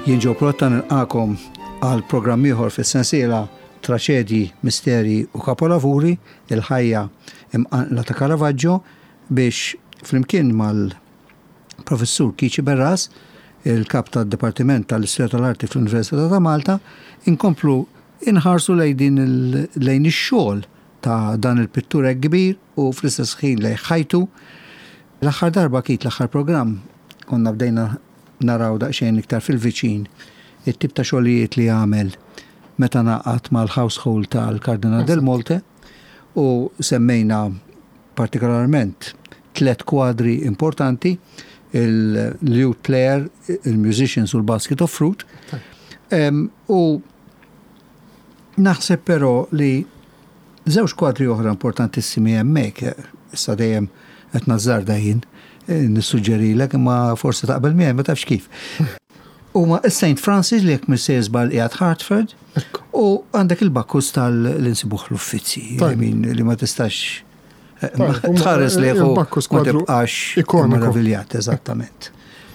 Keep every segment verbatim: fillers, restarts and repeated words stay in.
Jien Joe Protta nilqagħkom għal programm ieħor fis-sensiela Traċedji, Misteri u Kapolavuri, il-ħajja imqanqla ta' Caravaggio biex flimkien mal-professur Keith Sciberras, il-kap tad-Dipartiment tal-Istorja tal-Arti fl-Università ta' Malta, inkomplu inħarsu lejn din lejn ix-xogħol ta' dan il-pittur kbir u fl-istess ħin lejn ħajtu. L-aħħar darba kit l-aħħar programm konna bdejna naraw daqsxejn iktar fil-viċin it-tip ta' xogħlijiet li għamel meta ngħaqad mal-household tal-Kardinal Del Monte u semmejna partikolarment tlet kwadri importanti, il-lute player, il-musicians u l-basket of fruit. U naħseb però li żewġ kwadri oħra importantissimi hemmhekk, issa dejjem qed nażżarda jien, nissuġġerilek imma forsi taqbel miegħi ma tafx kif. Huma Saint Francis li jekk m'iniex żball qiegħed Hartford u għandek il-Bacchus tal-insibuh l-Uffizi, li ma tistax tħares li ma tibqax meraviljat, eżattament.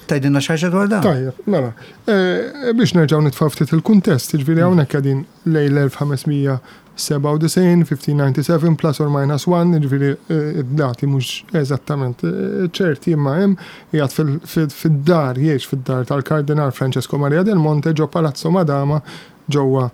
Tgħidilna xi ħaġa dwar dan? Tajjeb, mela, biex nerġgħu nitfgħu ftit il-kuntest, ġifieri hawnhekk qegħdin lejn l-elf ħames mija sebgħa u disgħin, fifteen ninety-seven plus or minus one, ġifieri id-dati mhux eżattament ċerti, imma hemm qiegħed fid-dar, jgħix fid-dar tal-Kardinal Francesco Maria del Monte ġo Palazzo Madama ġewwa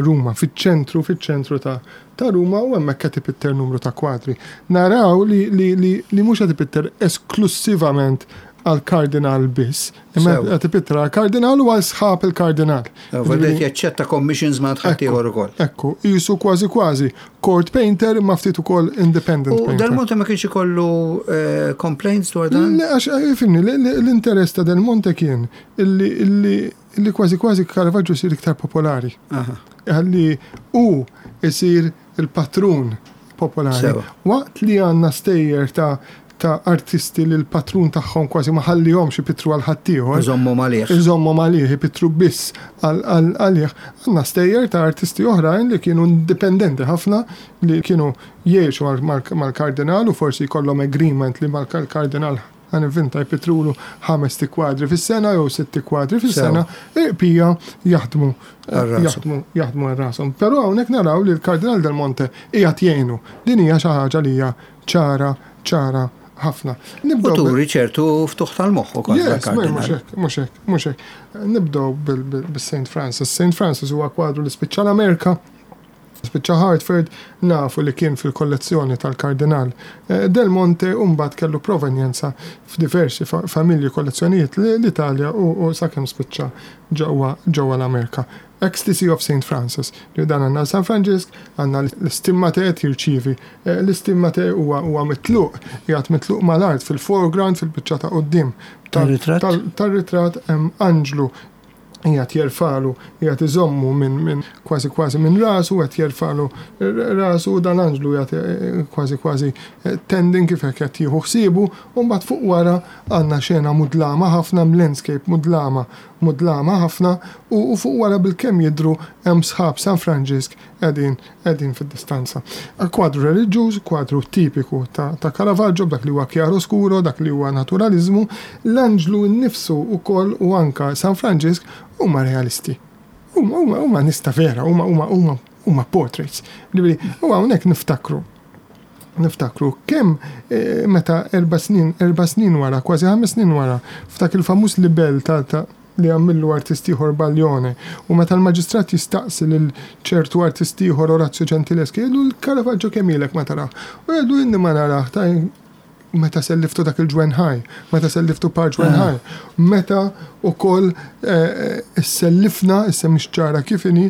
Ruma, fiċ-ċentru, fiċ-ċentru ta' ta' Ruma, u hemmhekk qed ipitter numru ta' kwadri. Naraw li li li, li mhux qed ipitter esklusivament għal-kardinal biss, imma qed ipitter għal-kardinal u għal sħab il-kardinal. Vedet jaċċetta commissions ma' ħaddieħor ukoll. Ekku, jisu kważi kważi court painter imma ftit ukoll independent U painter. Del Monte ma kienx ikollu complaints dwar dan? Le, għax fimni, l-interess ta' Del Monte kien illi illi illi kważi kważi Caravaggio jsir iktar popolari. Għalli u isir il-patrun popolari. Waqt li għandna stejjer ta' ta' artisti li l-patrun tagħhom kważi ma ħallihomx ipittru għal ħaddieħor. Iżommu għalih. Iżommu għalih, ipittru biss għalih. Għandna stejjer ta' artisti oħrajn li kienu indipendenti ħafna, li kienu jgħixu mal-kardinal u forsi jkollhom agreement li mal-kardinal, ħa nivvinta, jpittrulu ħames kwadri fis-sena jew sitti kwadri fis-sena, pija jaħdmu jaħdmu jaħdmu għal rashom. Però hawnhekk naraw li l-Kardinal Del Monte qiegħed jgħinu. Din hija xi ħaġa li hija ċara ċara ħafna. Nibdew turi ċertu ftuħ tal-moħħ ukoll. Yes, mhux hekk, mhux hekk, mhux hekk. Nibdew bil-Saint Francis. Saint Francis huwa kwadru li spiċċa l-Amerika, spiċċa Hartford, nafu li kien fil-kollezzjoni tal-Kardinal Del Monte u mbagħad kellu provenjenza f'diversi familji, kollezzjonijiet l-Italja u sakemm spiċċa ġewwa ġewwa l-Amerika. Ecstasy of Saint Francis. Li dan għandna San Franġisk, għandna l-istimmate qed jirċievi. L-istimmate huwa huwa mitluq, qiegħed mitluq mal-art fil-foreground, fil-biċċa ta' quddiem tar-ritratt hemm anġlu qiegħed jerfagħlu, qiegħed iżommu minn min kważi kważi minn rasu, qed jerfagħlu rasu, dan anġlu qiegħed kważi kważi tending kif hekk qed jieħu ħsiebu, u mbagħad fuq wara għandna xena mudlama ħafna, landscape mudlama, mudlama ħafna, u fuq wara bil-kemm jidru hemm sħab San Franġisk qegħdin qegħdin fid-distanza. Kwadru reliġjuż, kwadru tipiku ta', ta' Caravaggio, dak li huwa chiaroscuro, dak li huwa naturalizmu, l-anġlu nnifsu ukoll u anka San Franġisk huma realisti. Huma huma huma nista vera, huma huma huma huma portraits. U hawnhekk niftakru niftakru kemm meta erba' snin, erba' snin wara, kważi ħames snin wara, f'dak il-famuż libel ta', ta li għamillu artist ieħor Baglione, u meta l-maġistrat jistaqsi lil ċertu artist ieħor, Orazio Gentileschi, jgħidu l-Caravaggio kemm ilek ma tarah? U jgħidu inni ma narah ta' meta selliftu dak il-ġwenħaj, meta selliftu par ġwenħaj, meta ukoll sellifna, issa mhix ċara kif inhi,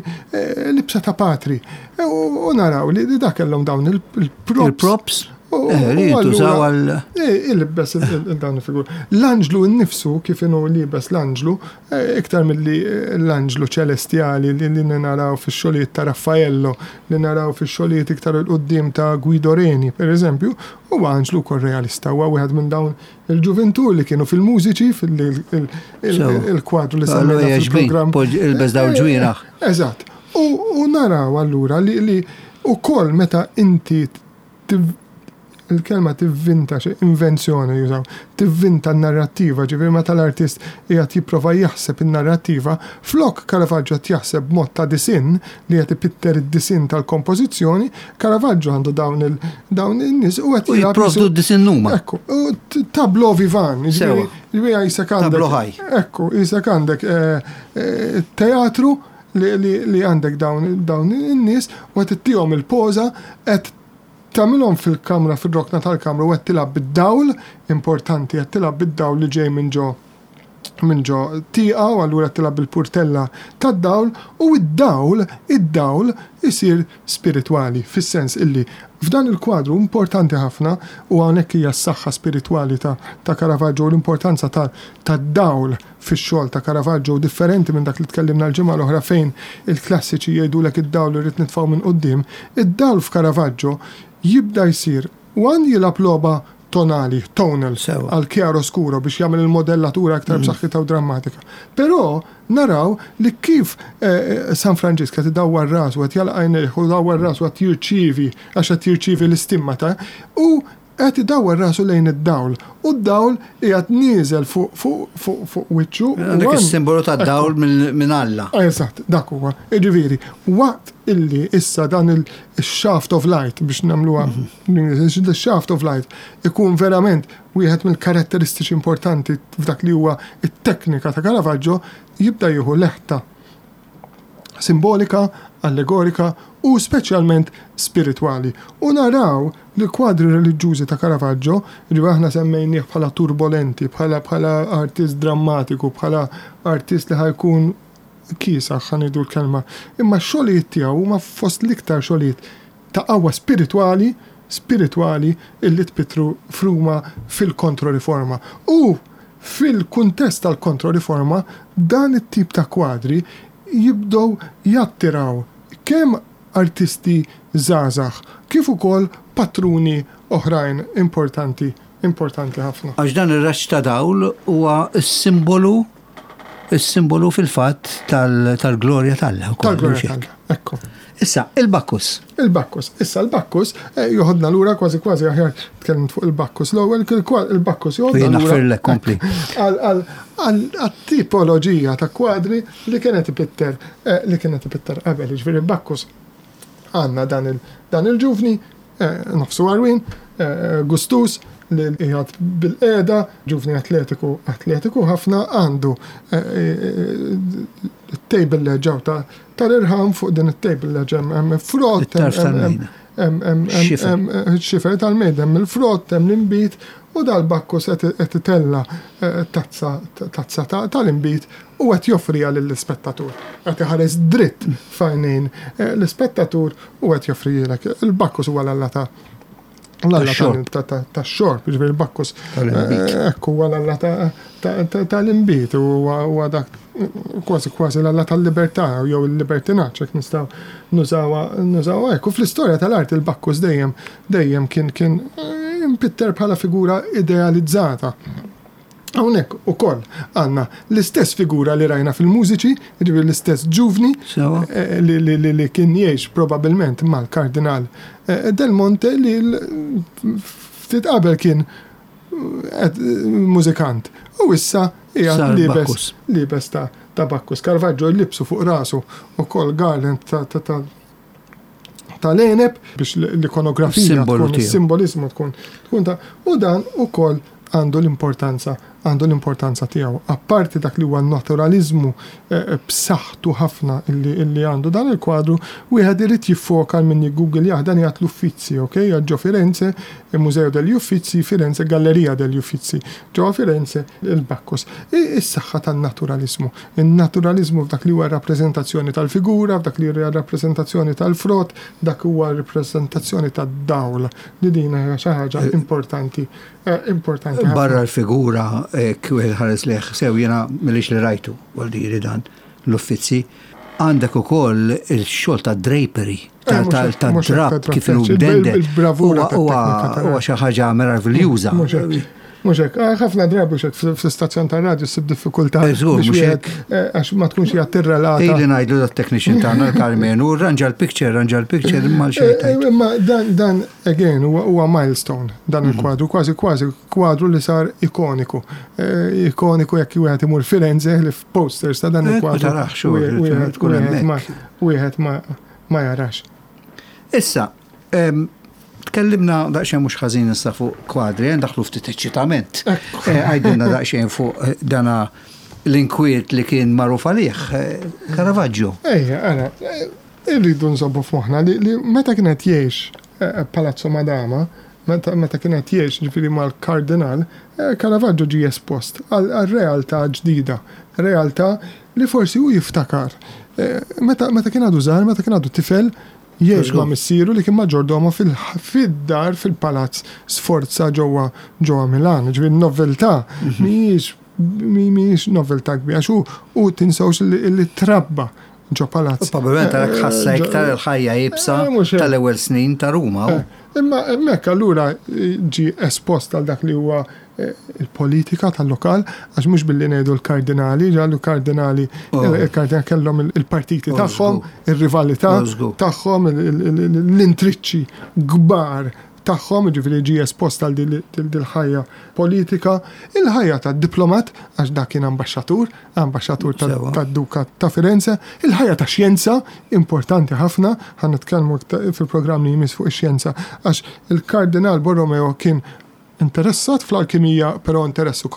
libsa ta' patri. U naraw li dak kellhom dawn il-props. Il-props? Li jintużaw għal. Il-libbes dawn il-figur. L-anġlu nnifsu, kif inhu libes l-anġlu, iktar milli l-anġlu ċelestjali li naraw fix-xogħlijiet ta' Raffaello, li naraw fix-xogħlijiet iktar 'il quddiem ta' Guido Reni, per eżempju, huwa anġlu wkoll realista, huwa wieħed minn dawn il-ġuventur li kienu fil-mużiċi, fil-kwadru li semmejna fil-programm. Ilbes dawn ġwienaħ. Eżatt. U naraw allura li ukoll meta inti Il-kelma tivvinta, xi invenzjoni jużaw, tivvinta n-narrattiva, ġifieri meta l-artist qiegħed jipprova jaħseb in-narrattiva, flok Caravaggio qed jaħseb b'mod ta' disinn li qed ipitter id-disinn tal-kompożizzjoni, Caravaggio għandu dawn il dawn in-nies u qed U jipprovdu d-disinn huma. Ekku, u t- tableau vivant, Sewa. ġifieri jisek għandek. Tableau ħaj. Ekku, jisek għandek eh, eh, teatru li, li, li għandek dawn, dawn in-nies u qed ittihom il-poża qed tagħmilhom fil-kamra, fil-rokna tal-kamra u qed tilgħab bid-dawl, importanti, qed tilgħab bid-dawl li ġej minn ġo minn ġo tieqa u allura tilgħab bil-purtella tad-dawl u id-dawl, id-dawl isir spiritwali, fis-sens illi f'dan il-kwadru importanti ħafna u hawnhekk hija s-saħħa spiritwali ta', ta' Caravaggio u l-importanza ta' tad-dawl fix-xogħol ta' Caravaggio differenti minn dak li tkellimna l-ġimgħa l-oħra fejn il-klassiċi jgħidulek id-dawl irid nitfgħu minn quddiem, id-dawl f'Caravaggio jibda jsir one jilgħab logħba tonali, tonal, Sewa. għal chiaro scuro biex jagħmel il-modellatura aktar b'saħħitha u drammatika. Però naraw li kif eh, San Franġisk qed idawwar rasu qed jagħlaq għajnejh u dawwar rasu qed jirċievi għax qed jirċievi l-istimmata u qed idawwar rasu lejn id-dawl u d-dawl qiegħed nieżel fuq fuq fuq fuq wiċċu. u Għandek għan- is-simbolu tad-dawl minn minn Alla. Eżatt, dak huwa. Jiġifieri, waqt illi issa dan il-shaft of light biex nagħmluha, the shaft of light ikun verament wieħed mill-karatteristiċi importanti f'dak li huwa it-teknika ta' Caravaggio, jibda jieħu leħta simbolika, allegorika u speċjalment spiritwali. U naraw li kwadri reliġjużi ta' Caravaggio, ġifieri aħna semmejnieh bħala turbolenti, bħala bħala artist drammatiku, bħala artist li ħa jkun kiesaħ ħa ngħidu l-kelma. Imma x-xogħlijiet tiegħu huma fost l-iktar xogħlijiet ta' qawwa spiritwali, spiritwali illi tpittru f'Ruma fil-kontroriforma. U fil-kuntest tal-kontroriforma dan it-tip ta' kwadri jibdew jattiraw kemm artisti żgħażagħ kif ukoll patruni oħrajn importanti importanti ħafna. Għax dan ir-raġġ ta' dawl huwa s-simbolu is-simbolu fil-fatt tal- tal-glorja t'Alla wkoll, Tal-glorja mhux hekk? t'Alla. Ekku. Issa, il-Bakkus. Il-Bakkus. Issa l-Bakkus eh, joħodna lura kważi kważi aħjar tkellimt fuq il-Bakkus. L-ewwel il-Bakkus joħodna Jien lura naħfirlek, kompli. għal- għal- għal- għat-tipoloġija ta' kwadri li kienet ipitter eh, li kienet ipitter qabel. Jiġifieri il-Bakkus għandna dan il- dan il-ġuvni, eh, nofsu għarwien, eh, gustus, li qiegħed bil-qiegħda, ġuvni atletiku, atletiku ħafna għandu eh, eh, table ledge ta' tal-irħam fuq din it-table ledge hemm hemm frott, It-tarf hemm- tal-mejda. hemm- hemm- hemm- Xifer. hemm- xifer tal-mejda, hemm il-frott, hemm l-imbit u dal-Bakkus qed qed itella eh, tazza tazza ta- tal-imbit u qed joffriha lill-ispettatur. Qed iħares dritt f'għajnejn eh, l-ispettatur u qed joffrijilek. Il-Bakkus huwa l-alla ta' l-alla Tax-xorb. ta' ta' tax-xorb, jiġifieri il-Bakkus Tal-imbit. eh, Ekku huwa l-alla ta' ta- ta- tal-imbit u huwa huwa dak kważi kważi l-alla tal-libertà jew il-libertinaġġ jekk nistgħu nużawha nużawha hekk. U fl-istorja tal-art il-Bakkus dejjem dejjem kien kien eh, impitter bħala figura idealizzata. Hawnhekk ukoll għandna l-istess figura li rajna fil-mużiċi, jiġifieri l-istess ġuvni Sewa. eh, li, li, li, li kien jgħix probabilment mal-kardinal eh, Del Monte li l- ftit qabel kien eh, mużikant. U issa qiegħed Sar libes Bakkus. libes ta' ta' Bakkus. Caravaggio libsu fuq rasu ukoll garland ta' ta' ta' tal-għeneb biex l-ikonografija Simbolu tkun tiegħu. il-simbolizmu tkun tkun ta' u dan ukoll għandu l-importanza għandu l-importanza tiegħu. Apparti dak li huwa naturalizmu eh, b'saħħtu ħafna illi, illi għandu dan il-kwadru, wieħed irid jiffoka min Google dan jgħat l-Uffizi, ok? Ġo Firenze, il-Museo degli Uffizi, Firenze, Galleria degli Uffizi. Ġo Firenze, il-Bakkus. Is-saħħa tan-naturalizmu. Il-naturalizmu f'dak li huwa rappreżentazzjoni tal-figura, f'dak li huwa rappreżentazzjoni tal-frott, dak huwa rappreżentazzjoni tad-dawl. Li din hija xi ħaġa importanti, eh, importanti ħafna. Barra l-figura kwel ħares leħ sew jena millix li rajtu, għal dan l-Uffizi. Għandek ukoll il-xogħol ta' drapery, Eh, mhux ta' hekk, mhux hekk, drap ta' kif inhu il- mdendel. il-bravura Huwa- huwa tat-teknika tal-art. huwa xi ħaġa meraviljuża. Mhux hekk. Mhux hekk, ah, ħafna drabi mhux hekk fl-istazzjon tar-radju ssib diffikultà. Eh, żgur, biex mhux wieħed, hekk. eh, Għax ma tkunx qiegħed tirrelata. Ejli ngħidlu dat-technician tagħna l-Karmenu, ranġa l-picture, ranġa l-picture imma Eh, l-xejn. Imma dan, dan, again, huwa huwa milestone, dan Mhm. il-kwadru, kważi kważi kwadru li sar ikoniku. Eh, Ikoniku jekk wieħed imur Firenze li f'posters ta' dan Eh, ma il-kwadru. tarax, u wieħed- wieħed- tkun wieħed hemmhekk. ma- Wieħed ma ma jarax. Issa, em, tkellimna daqsxejn mhux ħażin issa fuq kwadri, eh, ndaħlu ftit eċċitament. Eh, Għajdilna daqsxejn fuq eh, dana l-inkwiet li kien magħruf għalih, eh, Caravaggio. Ejja, ara, eh, irridu nżobbu f'moħħna li, li meta kienet jgħix eh, Palazzo Madama, meta, meta kienet jgħix ġifieri mal-kardinal, eh, Caravaggio ġie espost għal għal realtà ġdida, realtà li forsi hu jiftakar. Eh, Meta, meta kien għadu żgħar, meta kien għadu tifel, jgħix ma' missieru li kien maġġordomo fil- fid-dar fil-palazz Sforza ġewwa ġewwa Milan. Ġifieri noveltà mhijiex mi- mhijiex noveltà kbira għax hu u tinsewx li, li trabba ġo palazz. Probabbilment għalek ħassa Eh, ġo- iktar il-ħajja jibsa Eh, mhux hekk. tal-ewwel snin ta' Ruma. u- Eh, Imma hemmhekk allura eh, ġi espost għal dak li huwa eh, il-politika tal-lokal, għax mhux billi ngħidu l-kardinali, ġallu kardinali, Oh. il-kardinali kellhom il- il-partiti Oh, tagħhom, żgur. ir-rivalità Oh, żgur. tagħhom, il- il- il- l-intriċċi kbar tagħhom, ġifieri ġi espost għal dil- dil- dil-ħajja politika, il-ħajja tad diplomat, għax dak kien ambaxxatur, ambaxxatur tad- Sewa. tad-Duka ta' Firenze, il-ħajja ta' xjenza, importanti ħafna, ħan nitkellmu iktar fil-programm li jmiss fuq ix-xjenza, għax il-Kardinal Borromeo kien interessat fl-alkimija, però interessu,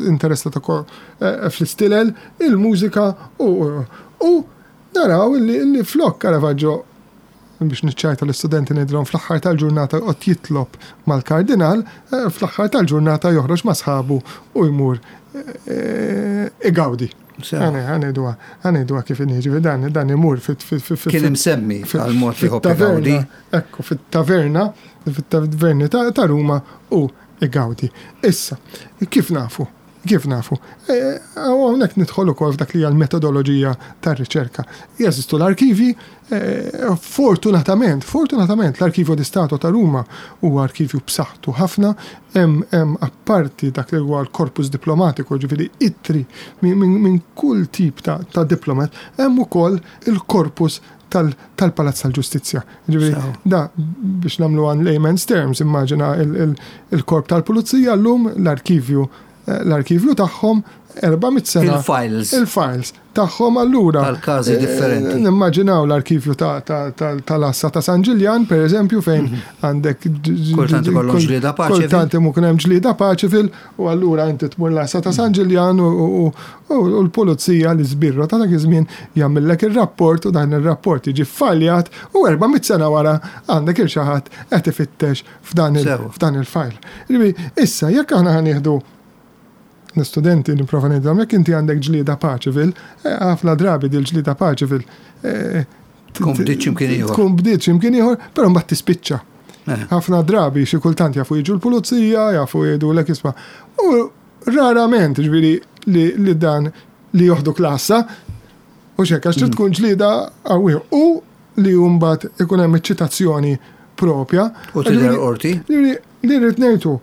interessat ukoll eh, fl-istilel, il-mużika u, u naraw li, li flok Caravaggio biex niċċajta l-istudenti ngħidilhom fl-aħħar tal-ġurnata qed jitlob mal-kardinal, eh, fl-aħħar tal-ġurnata joħroġ ma' sħabu u jmur eh, igawdi. Sewa. Għanejduha, għanejduha kif inhi, dan, dan imur fit fit fit fit Kien imsemmi għal mod li ħobb fit-taverna, igawdi. Ekku, fit-taverna, fit-taverni ta' ta' Ruma u igawdi. Issa, kif nafu? Kif nafu? E, Hawnhekk nidħol ukoll f'dak li hija l-metodoloġija tar-riċerka. Jeżistu l-arkivi, e, fortunatament, fortunatament l-Arkivju di Stato ta' Ruma huwa arkivju b'saħħtu ħafna, hemm hemm apparti dak li huwa l-korpus diplomatiku, ġifieri ittri minn min, min kull tip ta', ta' diplomat, hemm ukoll il-korpus tal- tal-Palazz tal-Ġustizzja. Ġifieri Sew. da biex nagħmlu għan layman's terms, immaġina il- il- il-korp tal-Pulizija llum l-arkivju eh, l-arkivju tagħhom erba' mitt sena. Il-files. Il-files tagħhom allura. Tal-każi eh, differenti. Nimmaġinaw l-arkivju ta- ta- ta- tal-Assa ta' San Ġiljan, per eżempju, fejn għandek Mhm. Kultant ikollhom ġlieda paċevil. Kultant imkun hemm ġlieda paċevil u allura inti tmur l-Assa ta' San Ġiljan u- u u- u l-pulizija li żbirru ta' dak iż-żmien jagħmellek ir-rapport u dan ir-rapport jiġi ffaljat u erba' mitt sena wara għandek il xi ħadd qed ifittex f'dan il- Sewa. f'dan il-fajl. Ġifieri, Issa jekk aħna ħanieħdu l-istudenti nipprova ngħidilhom jekk inti għandek ġlieda paċevil, eh, ħafna drabi dil ġlieda paċevil eh, Tkun bdiet x'imkien ieħor. Tkun bdiet x'imkien ieħor, però mbagħad tispiċċa. Eh. Ħafna drabi xi kultant jafu jiġu l-pulizija, jafu jgħidulek isma'. U rarament ġifieri li, li dan li joħdu klassa u xek għax trid Mm. tkun ġlieda qawwija u li mbagħad ikun hemm iċ-ċitazzjoni propja. U tidher Ġifieri- qorti. Ġifieri, li rrid ngħidu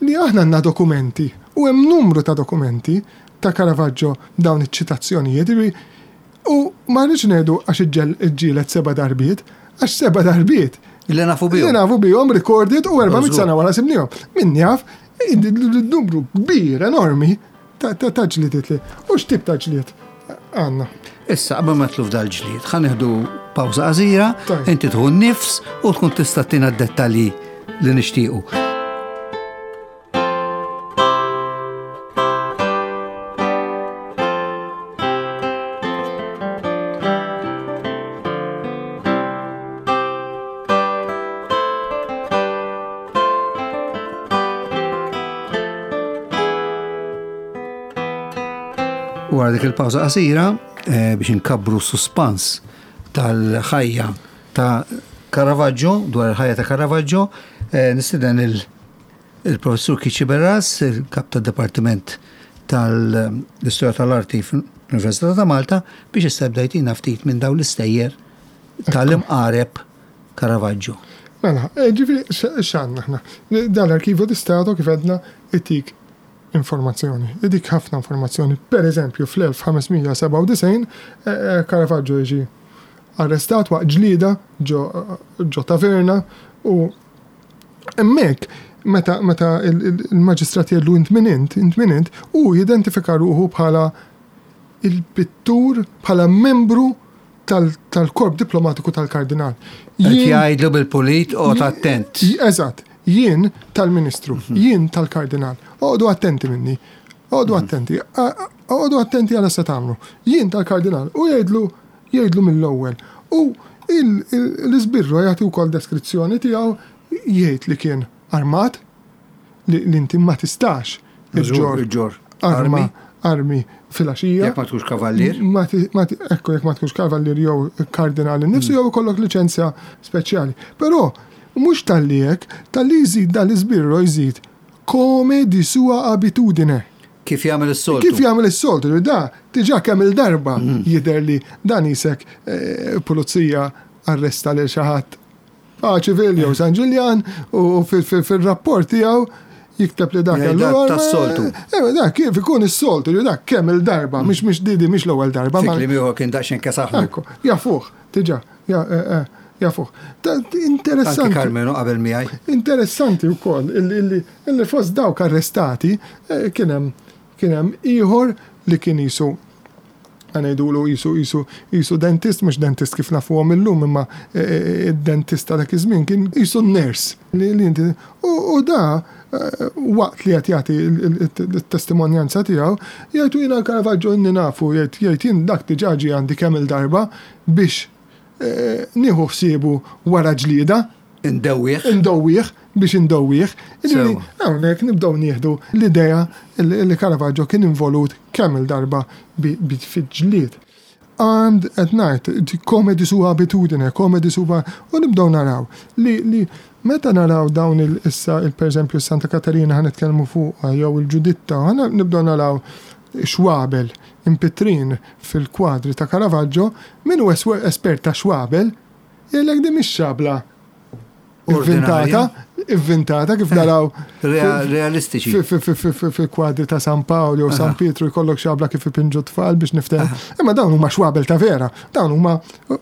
li aħna għandna dokumenti u hemm numru ta' dokumenti ta' Caravaggio dawn iċ-ċitazzjonijiet ġifieri, u ma rridx ngħidu għax iġġel iġġielet seba' darbiet, għax seba' darbiet Li nafu li bihom. nafu bihom recorded u erba' Żgur. sena wara sibnihom. Min jaf, numru kbir enormi ta' ta' ta' ġlidiet li. U x'tip ta' ġlied għandna. Issa, qabel ma tluf dal-ġlied, ħa nieħdu pawża qasira, Tajjeb. inti tħu nifs u tkun tista' tina d-dettalji li nixtiequ. Wara dik il-pawża qasira eh, biex inkabbru suspans tal-ħajja ta' Caravaggio, dwar il-ħajja ta' Caravaggio, eh, nistieden il- il-professur Kiċi Berras, il-kap tad-Dipartiment tal-Istorja tal-Arti fl-Università ta' Malta, biex issa bdejtina ftit minn dawn l-istejjer tal-imqareb Caravaggio. Mela, eh, ġifieri x'għandna aħna? Dan l-Arkivju di Stato kif għedna itik informazzjoni. Idik ħafna informazzjoni. Per eżempju, fl-elf ħames mija sebgħa u disgħin eh, eh, Caravaggio jiġi arrestat waqt ġlida ġo ġo taverna u hemmhekk meta meta il- il- il-maġistrat jgħidlu: "Int min int, int min int?" u jidentifika ruħu bħala il-pittur, bħala membru tal- tal-korp diplomatiku tal-kardinal. Qed Jien- jgħidlu bil-pulit: "Oqgħod attent." Eżatt, jien tal-ministru, jien tal-kardinal. Oqogħdu attenti minni. Oqogħdu attenti. Oqogħdu attenti għal se tagħmlu. Jien tal-kardinal. U jgħidlu jgħidlu mill-ewwel. U il- il- l-iżbirru jagħti wkoll deskrizzjoni tiegħu, jgħid li kien armat, li li inti ma tistax Iġġor iġġor arma armi. Armi filgħaxija. Jekk ma tkunx kavallier. Ma ti, ma ti, ekku, jekk ma tkunx kavallier jew kardinali nifsu jew ikollok liċenzja speċjali. Però mhux talli hekk, talli jżid dal-iżbirru jżid "come di sua abitudine". Kif jagħmel is-soltu. Kif jagħmel is-soltu, li da diġà kemm il-darba jidher li dan isek eh, pulizija arresta lil xi ħadd Paċivil jew San Ġiljan u fil- fil- fil-rapport tiegħu jikteb li dak Jgħid kellu dak arma. tas-soltu. Eh, dak kif ikun is-soltu, li dak kemm il-darba, mhix mhix didi mhix l-ewwel darba. Fi ma- kliem ieħor kien daqsxejn kesaħlu. Ekku, jafuh, diġà, ja, eh, eh, jafuh. Ta- Anki Interessanti. Karmenu qabel miegħi. Interessanti wkoll illi illi illi fost dawk arrestati eh, kien hemm kien hemm ieħor li kien jisu, ħa ngħidulu, jisu jisu jisu dentist, mhux dentist kif nafuhom illum, imma eh, eh, id-dentist ta' dak iż-żmien kien jisu nurse li li inti u u da eh, waqt li qed jagħti il-testimonjanza tiegħu jgħidu: "Jiena Caravaggio inni nafu", jgħid jgħid "jien dak diġà ġie għandi kemm il-darba biex eh, nieħu ħsiebu wara ġlieda." Indewwieħ. Indowwieħ, biex indowwieħ. Ġifieri, Sewa. hawnhekk nibdew nieħdu l-idea li li Caravaggio kien involut kemm il-darba bi bi fi ġlied. Armed at night, "come di sua abitudine", "come di sua", u nibdew naraw li, li meta naraw dawn il issa il per eżempju Santa Katarina ħa nitkellmu fuq jew il-Ġuditta, ħa nibdew naraw xwabel impittrin fil-kwadri ta' Caravaggio, min hu espert ta' xwabel, jgħidlek di mhix xabla inventata, inventata kif naraw Rea- Realistiċi. fil-kwadri ta' San Paolo jew San Pietru jkollok xabla kif ipinġu tfal biex niftem. Imma dawn huma xwabel ta' vera, dawn huma uh,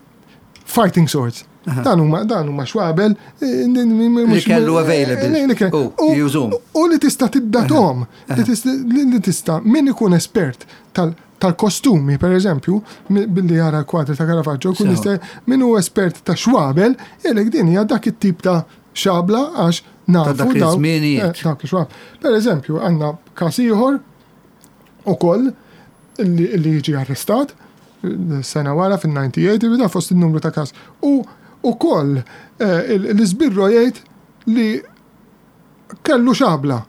fighting swords. Dan huma dan huma xwabel eh, Li kellu available. Li kellu. U, jużum. U li tista' tiddatom, li tista' li tista' min ikun espert tal tal-kostumi, per eżempju, mi- billi jara l-kwadri ta' Caravaggio, kun Sewa. jista' min hu espert ta' xwabel, jgħidlek din hija dak it-tip ta' xabla għax nafu dak daw- iż-żmienijiet. eh, dawk ix-xwabel. Per eżempju, għandna każ ieħor ukoll illi illi jiġi arrestat eh, sena wara fil-tmien u disgħin, da fost il-numru ta' każ. U ukoll eh, il- l-iżbirro jgħid li kellu xabla.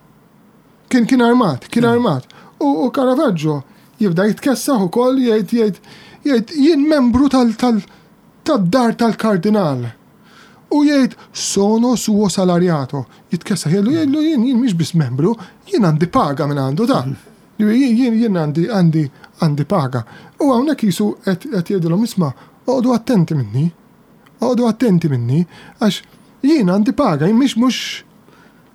Kien kien armat, kien armat. U, u Caravaggio jibda jitkessaħ ukoll, jgħid jgħid jgħid "Jien membru tal tal tad-dar tal-kardinal." U jgħid: "Sono suo salariato." Jitkessaħ jgħidlu jgħidlu jien jien mhix biss membru, jien għandi paga minn għandu ta'. Jien jien jien għandi għandi għandi paga. U hawnhekk jisu qed qed jgħidilhom: "Isma', oqogħdu attenti minni. Oqogħdu attenti minni għax jien għandi paga, jien mhix mhux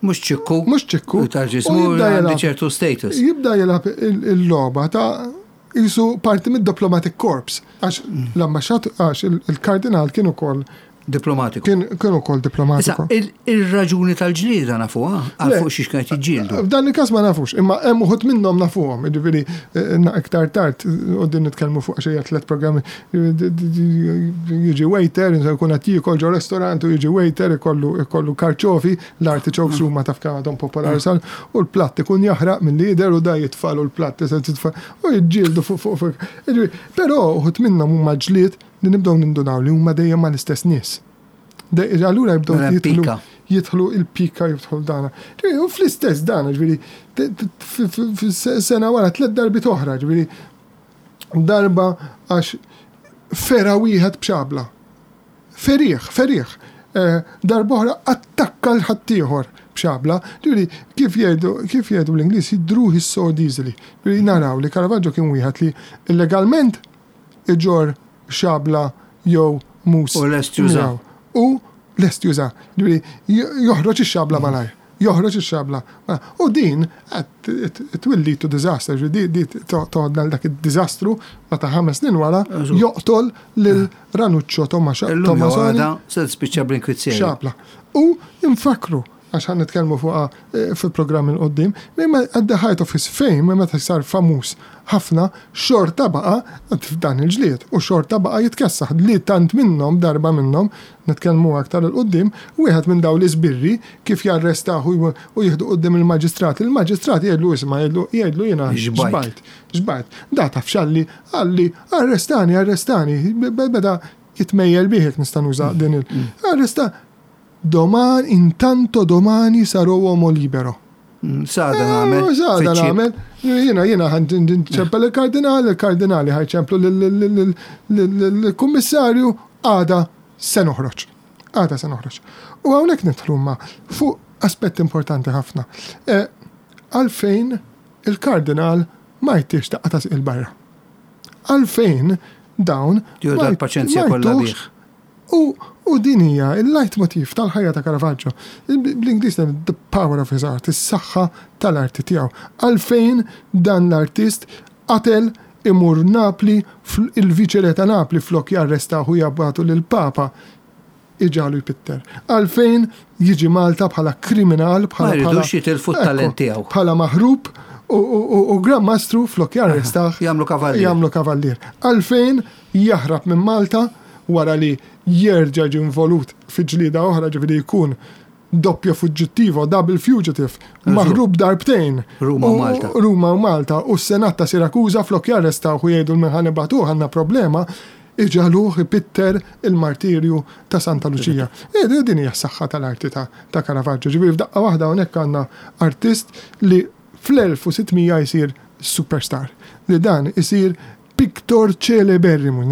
Mhux ċikku. Mhux ċikku." U tal-ġismu U jibda għandi jilgħab- ċertu status. Jibda jilgħab il- il-logħba ta' jisu parti mid-diplomatic corps. Għax l-ambasċat, għax il- il-kardinal kien ukoll Diplomatiku. kien kien ukoll Issa, diplomatiku. il- il-raġuni tal-ġlieda nafuha, għal Le. fuq xiex kienet jiġġieldu. F'dan il-każ ma nafux, imma hemm uħud minnhom nafuhom, jiġifieri eh, na- iktar tard u din nitkellmu fuq xi tliet programmi, jiġi waiter, jkun qed jiekol ġo restorant u jiġi waiter ikollu ikollu karċofi, l-artichokes huma taf kemm għadhom popolari sal, u l-platt ikun jaħraq mill-lider u da jitfalu l-platt titfa' u jiġġieldu fuq fuq fuq. Jiġifieri, però uħud minnhom huma ġlied li nibdew nindunaw li huma dejjem mal-istess nies. De- Allura jibdew Mela jidħlu pika. jidħlu il-pika, jidħlu dana. Ġifieri, u fl-istess dana, ġifieri, t- t- f- f- f- sena wara tliet darbiet oħra, ġifieri, darba għax fera wieħed b'xabla. Ferih, ferih. Eh, Darba oħra attakka l-ħaddieħor b'xabla. Ġifieri, kif jgħidu, kif jgħidu bl-Ingliż, "he drew his sword easily". Ġifieri, naraw li Caravaggio kien wieħed li illegalment iġorr xabla jew mus. U lest juża. miegħu. U lest juża. Ġifieri, joħroġ ix-xabla malajr. Joħroġ ix-xabla. U din it will lead to disaster, di di toħodna dak id-diżastru meta ħames snin wara joqtol lil Ranuccio Tommasoni. Se tispiċċa bl-inkwizzjoni. Xabla. U infakru, għax ħa nitkellmu fuqha eh, fil-programm 'il quddiem, imma at the height of his fame, meta sar famuż ħafna, xorta baqa f'dan il-ġlied u xorta baqa jitkessaħ li tant minnhom, darba minnhom, nitkellmu aktar 'il quddiem, wieħed minn dawn l-iżbirri kif jarrestaw u jieħdu quddiem il-maġistrat, il-maġistrat jgħidlu, isma', jgħidlu jgħidlu jiena xbajt, xbajt. Da taf x'qalli? Qalli, "Arrestani, arrestani", beda jitmejjel bih, nista' nuża din il- mm. Arresta, "Domani, intanto domani sarò uomo libero." Mm, s'għada nagħmel. Eh, s'għada nagħmel. Jiena jiena ħa nċempel il-kardinali, il-kardinali ħa jċemplu l-kummissarju, għada se noħroġ. Għada se noħroġ. U hawnhekk nidħlu ma fuq aspett importanti ħafna. Eh, għalfejn il-kardinal ma jtihx daqqa ta' 'il barra? Għalfejn dawn ma paċenzja kollha bih? U, u din hija il-leitmotiv tal-ħajja ta' Caravaggio. Bl-Ingliż the power of his art, is-saħħa tal-arti tiegħu. Għalfejn dan l-artist qatel, imur Napli, il-viċere ta' Napli flok jarrestaw u jibagħtu lill-Papa iġagħlu jpitter? Għalfejn jiġi Malta bħala kriminal, bħala bħala jitilfu t-talent tiegħu. Bħala maħrub u Gran Mastru flok jarrestaw. Jagħmlu kavallier. Jagħmlu kavallier. Għalfejn jaħrab minn Malta wara li jerġa' ġie involut fi ġlida oħra, ġifieri jkun doppio fuggitivo, double fugitive, maħrub darbtejn? Ruma u Malta. Ruma u Malta, u s-Senat ta' Sirakuza flok jarrestaw u jgħidu 'l min ħa nibagħtu, għandna problema, iġagħluh ipitter il-martirju ta' Santa Lucia? E, din hija s-saħħa tal-arti ta', ta Caravaggio. Ġifieri f'daqqa waħda hawnhekk għandna artist li fl-elf u sitt mija jsir superstar. Li dan isir pictor celeberrimo.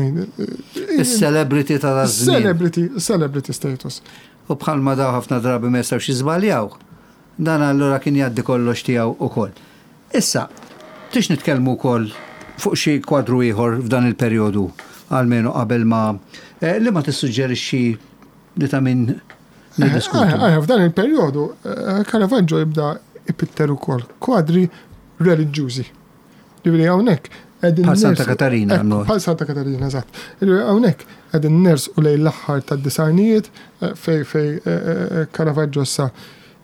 Il-celebrity ta' żmien. Celebrity, celebrity status. U bħalma daw ħafna drabi ma jistgħux jiżbaljaw. Dan allura kien jgħaddi kollox tiegħu ukoll. Issa, tix nitkellmu wkoll fuq xi kwadru ieħor f'dan il-perjodu, almenu qabel ma eh, li ma tissuġġerixxi li ta' min niddiskutu? Eh, eh, f'dan il-perjodu Caravaggio jibda ipitter ukoll kwadri reliġjużi. Ġifieri hawnhekk Bħal Santa Katarina. Bħal Santa Katarina, eżatt. Hawnhekk qegħdin nersqu lejn l-aħħar tad-disgħinijiet fej fej Caravaggio sa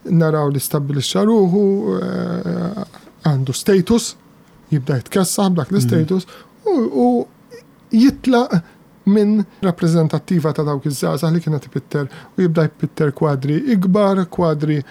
naraw li stabbilixxa ruħu, għandu status, jibda jitkessaħ b'dak l-status u jitlaq minn rappreżentattiva ta' dawk iż-żgħażagħ li kienet ipitter u jibda jpitter kwadri ikbar, kwadri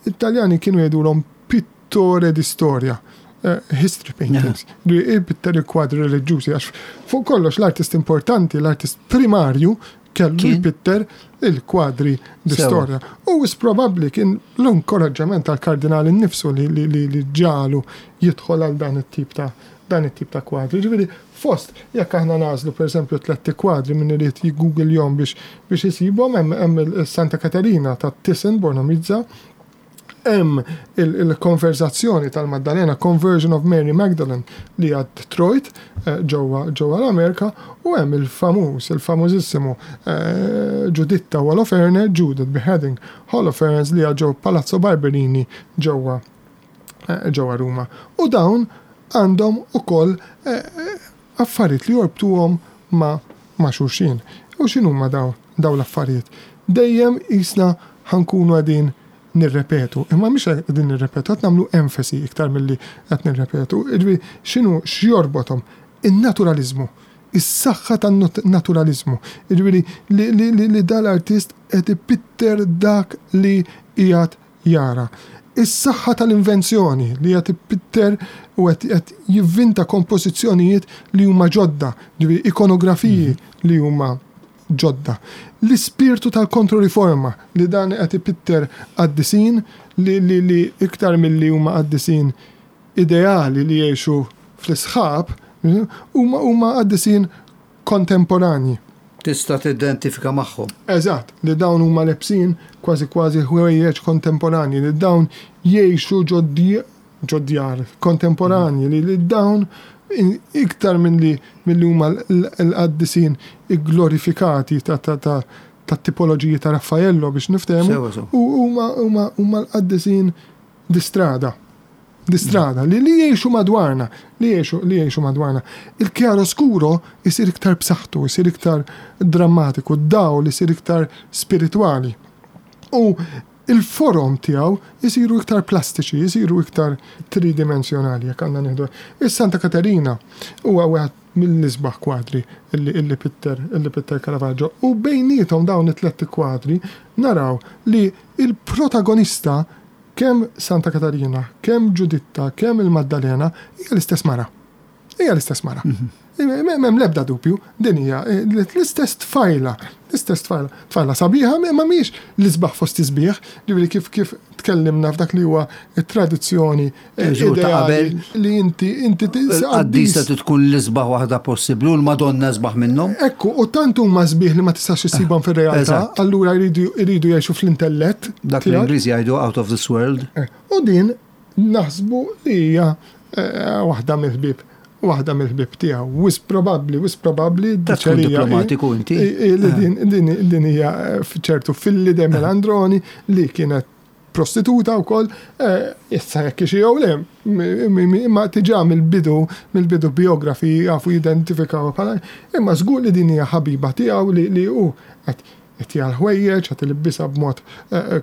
Italjani kienu jgħidulhom pittore di storia, eh, history paintings. Li jpitter il-kwadri reliġjużi, għax fuq kollox l-artist importanti, l-artist primarju kellu jpitter il-kwadri di storja. U is probabbli kien l-inkoraġġament tal-kardinali nnifsu li, li, li, li ġagħlu jidħol għal dan it-tip ta' dan it-tip ta' kwadri. Ġifieri, fost, jekk aħna nagħżlu per eżempju tletti kwadri minn irid jiggoogle biex biex jisibhom, hemm il-Santa Katerina ta' Thyssen Bornemisza, hemm il-konversazzjoni tal-Maddalena, Conversion of Mary Magdalene, li għad Detroit eh, ġewwa ġewwa l-Amerika, u hemm il-famuż, il-famużissimu eh, Ġuditta u Oloferne, Judith Beheading Holofernes, li għad ġew Palazzo Barberini ġewwa eh, ġewwa Ruma. U dawn għandhom ukoll affarijiet li jorbtuhom ma' ma' xulxin. U x'inhuma dawn dawn l-affarijiet? Dejjem jisna ħa nkunu qegħdin nirrepetu. Imma mhix qegħdin nirrepetu, qed nagħmlu enfasi iktar milli qed nirrepetu. Ġifieri x'inhu x'jorbothom? In-naturalizmu. Is-saħħa tan-naturalizmu. Ġifieri li, li, li, li dal-artist qed ipitter dak li qiegħed jara. Is-saħħa tal-invenzjoni, li qed ipitter u qed jivvinta kompożizzjonijiet li huma ġodda, ġifieri ikonografiji li huma ġodda. L-ispirtu tal-kontroriforma, li dan qed ipitter qaddisin li, li, li iktar milli huma qaddisin ideali li jgħixu fl-isħab, huma huma qaddisin kontemporanji. Tista' tidentifika magħhom. Eżatt, li dawn huma lebsin kważi kważi ħwejjeġ kontemporanji, li dawn jgħixu ġo djar kontemporanji, li, li dawn iktar minn li mill huma l-qaddisin glorifikati ta' ta' ta' tat-tipoloġiji ta' Raffaello biex niftehmu, u huma l-qaddisin di strada. Di strada, li li jgħixu madwarna, li jgħixu li jgħixu madwarna. Il-chiaroscuro isir iktar b'saħħtu, isir iktar drammatiku, d-dawl isir iktar spiritwali. U il-forom tiegħu jisiru iktar plastiċi, jisiru iktar tridimensjonali, jekk għandna nieħdu. Is-Santa Katerina huwa wieħed mill-isbaħ kwadri illi, illi pitter illi pitter Caravaggio. U bejniethom dawn it-tlet kwadri naraw li il-protagonista, kemm Santa Katarina, kemm Ġuditta, kemm il-Maddalena, hija l-istess mara. Hija l-istess mara. M'hemm l-ebda dubju, din hija l-istess tfajla, l-istess tfajla, tfajla sabiħa, ma mhijiex l-isbaħ fost isbieħ, ġifieri kif kif tkellimna f'dak li huwa it-tradizzjoni ideali li inti inti Qaddisa tkun l-isbaħ waħda possibbli u l-Madonna isbaħ minnhom. Ekku, u tant huma sbieħ li ma tistax issibhom fir-realtà, allura jridu jridu jgħixu fl-intellett. Dak l-Ingliżi jgħidu out of this world. U din naħsbu li hija waħda mill-ħbieb waħda mill-ħbieb tiegħu. Wisq probabbli, wisq probabbli. Ta' tkun diplomatiku inti. Din hija ċertu Fillide Melandroni li kienet prostituta wkoll, issa jekk xi jew le, imma diġà mill-bidu mill-bidu biografi jafu jidentifikaw bħala, imma żgur li din hija ħabiba tiegħu li li hu qed qed ħwejjeġ, qed ilibbisha b'mod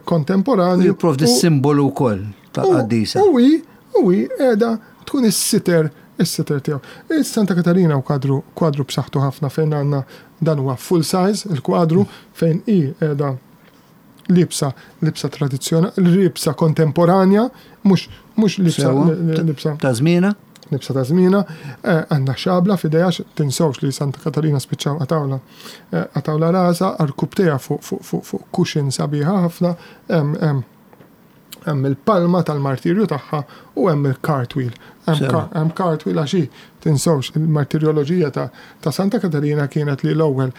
kontemporanju. Jipprovdi s-simbolu wkoll tal-qaddisa. U hi u hi qiegħda tkun is-sitter is-sitter tiegħu. Is-Santa Katarina u kwadru kwadru b'saħħtu ħafna fejn għandna, dan huwa full size il-kwadru, fejn hi qiegħda libsa libsa tradizzjonali, libsa kontemporanja, mhux mhux libsa libsa ta' żmiena. Libsa ta' żmiena, għandha xabla f'idejha. Tinsewx li Santa Katarina spiċċaw qatgħulha qatgħulha rasha, għarkupptejha fuq fuq fuq fuq cushion sabiħa ħafna, hemm hemm il-palma tal-martirju tagħha u hemm il-cartwheel. Hemm cartwheel għax tinsewx il-martirjoloġija ta', ta' Santa Katarina kienet li l-ewwel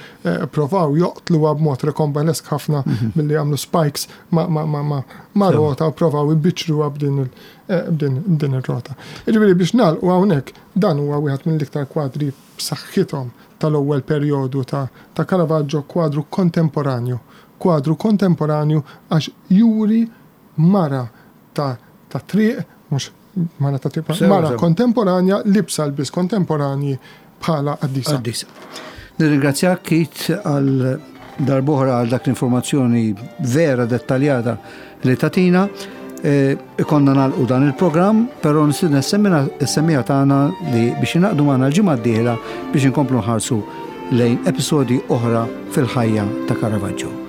provaw joqtluha b'mod rocambolesque ħafna billi għamlu spikes ma, ma, ma, ma, ma rota u provaw ibiċruha b'din b'din ir-rota. Jiġifieri biex nagħlqu hawnhekk, dan huwa wieħed mill-iktar kwadri b'saħħithom tal-ewwel perjodu ta', ta' Caravaggio, kwadru kontemporanju. Kwadru kontemporanju għax juri mara ta' ta' triq, mhux mara ta' triq, mara kontemporanja, libsa lbies kontemporanji bħala qaddisa. Qaddisa. Nirringrazzjak, Keith, għal darb'oħra għal dak l-informazzjoni vera dettaljata li tajtna. Ikollna nagħlqu dan il-programm, però nistieden is-semmiegħa tagħna li biex jingħaqdu magħna l-ġimgħa d-dieħla biex inkomplu nħarsu lejn episodi oħra fil-ħajja ta' Caravaggio.